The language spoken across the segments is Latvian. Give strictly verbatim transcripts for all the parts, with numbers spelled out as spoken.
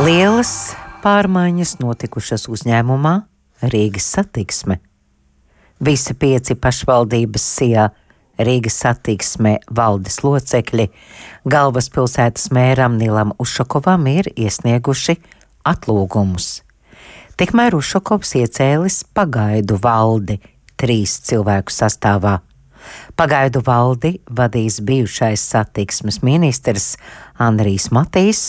Lielas pārmaiņas notikušas uzņēmumā Rīgas Satiksme. Visi pieci pašvaldības sijā Rīgas Satiksme valdes locekļi galvaspilsētas mēram Nilam Ušakovam ir iesnieguši atlūgumus. Tikmēr Ušakovs iecēlis pagaidu valdi trīs cilvēku sastāvā. Pagaidu valdi vadīs bijušais satiksmes ministrs Andrijs Matīs,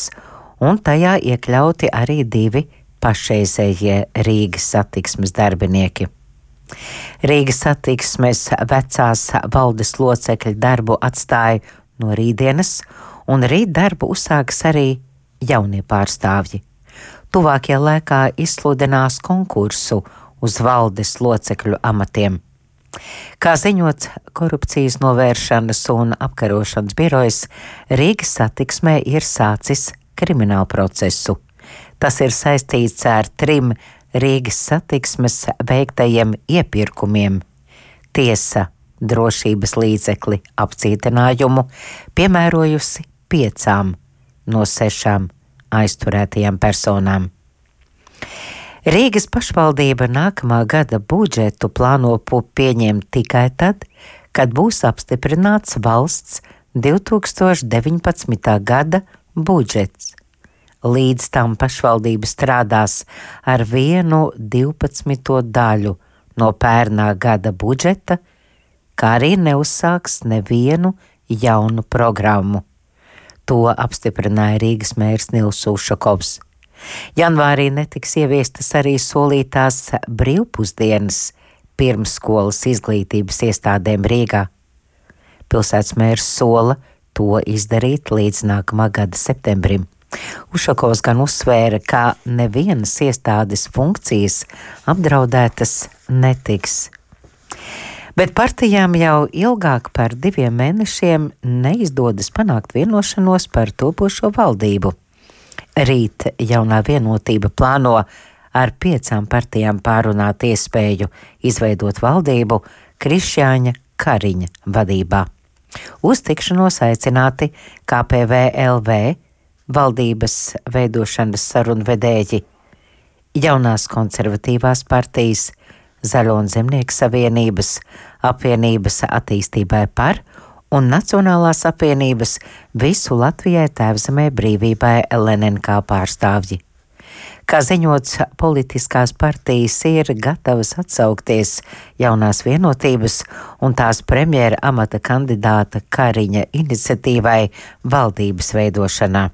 un tajā iekļauti arī divi pašreizējie Rīgas Satiksmes darbinieki. Rīgas Satiksmes vecās valdes locekļu darbu atstāja no rītdienas, un rīt darbu uzsāks arī jaunie pārstāvji. Tuvākajā laikā izsludinās konkursu uz valdes locekļu amatiem. Kā ziņots Korupcijas novēršanas un apkarošanas birojas, Rīgas Satiksmē ir sācis kriminālu procesu. Tas ir saistīts ar trim Rīgas Satiksmes veiktajiem iepirkumiem. Tiesa drošības līdzekli apcietinājumu piemērojusi piecām no sešām aizturētajām personām. Rīgas pašvaldība nākamā gada budžetu plāno pieņemt tikai tad, kad būs apstiprināts valsts divi tūkstoši deviņpadsmitā gada budžets. Līdz tam pašvaldība strādās ar vienu divpadsmito daļu no pērnā gada budžeta, kā arī neuzsāks nevienu jaunu programmu. To apstiprināja Rīgas mērs Nils Ušakovs. Janvārī netiks ieviestas arī solītās brīvpusdienas pirmsskolas izglītības iestādēm Rīgā. Pilsētas mērs sola to izdarīt līdz nākamā gada septembrim. Ušakovs gan uzsvēra, ka nevienas iestādes funkcijas apdraudētas netiks. Bet partijām jau ilgāk par diviem mēnešiem neizdodas panākt vienošanos par topošo valdību. Rīt jaunā vienotība plāno ar piecām partijām pārunāt iespēju izveidot valdību Krišjāņa Kariņa vadībā. Uz tikšanos aicināti K P V L V valdības veidošanas sarunvedēji, jaunās konservatīvās partijas, Zaļo un Zemnieku savienības, apvienības attīstībai par un Nacionālās apvienības visu Latvijai Tēvzemē brīvībai L N N K pārstāvji. Kā ziņots, politiskās partijas ir gatavas atsaukties jaunās vienotības un tās premjera amata kandidāta Kariņa iniciatīvai valdības veidošanā.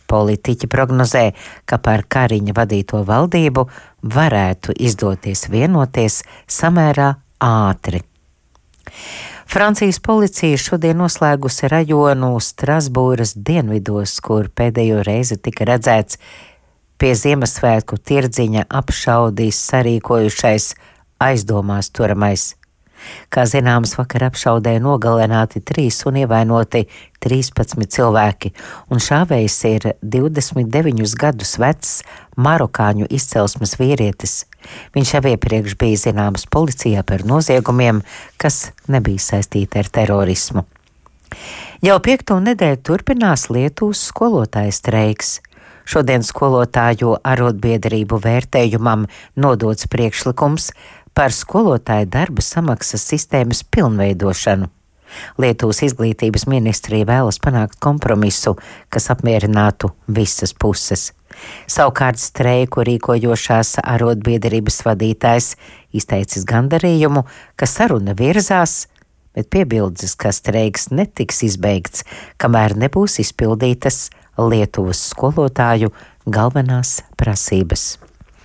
Politiķi prognozē, ka par Kariņa vadīto valdību varētu izdoties vienoties samērā ātri. Francijas policija šodien noslēgusi rajonu Strasbūras dienvidos, kur pēdējo reizi tika redzēts pie Ziemassvētku tirdziņa apšaudīs sarīkojušais aizdomās turamais. Kā zināms, vakar apšaudē nogalināti trīs un ievainoti trīspadsmit cilvēki, un šāvējs ir divdesmit deviņus gadus vecs marokāņu izcelsmes vīrietis. Viņš jau iepriekš bija zināms policijā par noziegumiem, kas nebija saistīti ar terorismu. Jau piekto nedēļu turpinās Lietuvas skolotāju streiks. Šodien skolotāju arotbiedrību vērtējumam nodots priekšlikums par skolotāju darba samaksas sistēmas pilnveidošanu. Lietuvas izglītības ministrija vēlas panākt kompromisu, kas apmierinātu visas puses. Savukārt streiku rīkojošās arotbiedrības vadītājs izteicis gandarījumu, ka saruna virzās, bet piebildes, ka streiks netiks izbeigts, kamēr nebūs izpildītas Lietuvas skolotāju galvenās prasības.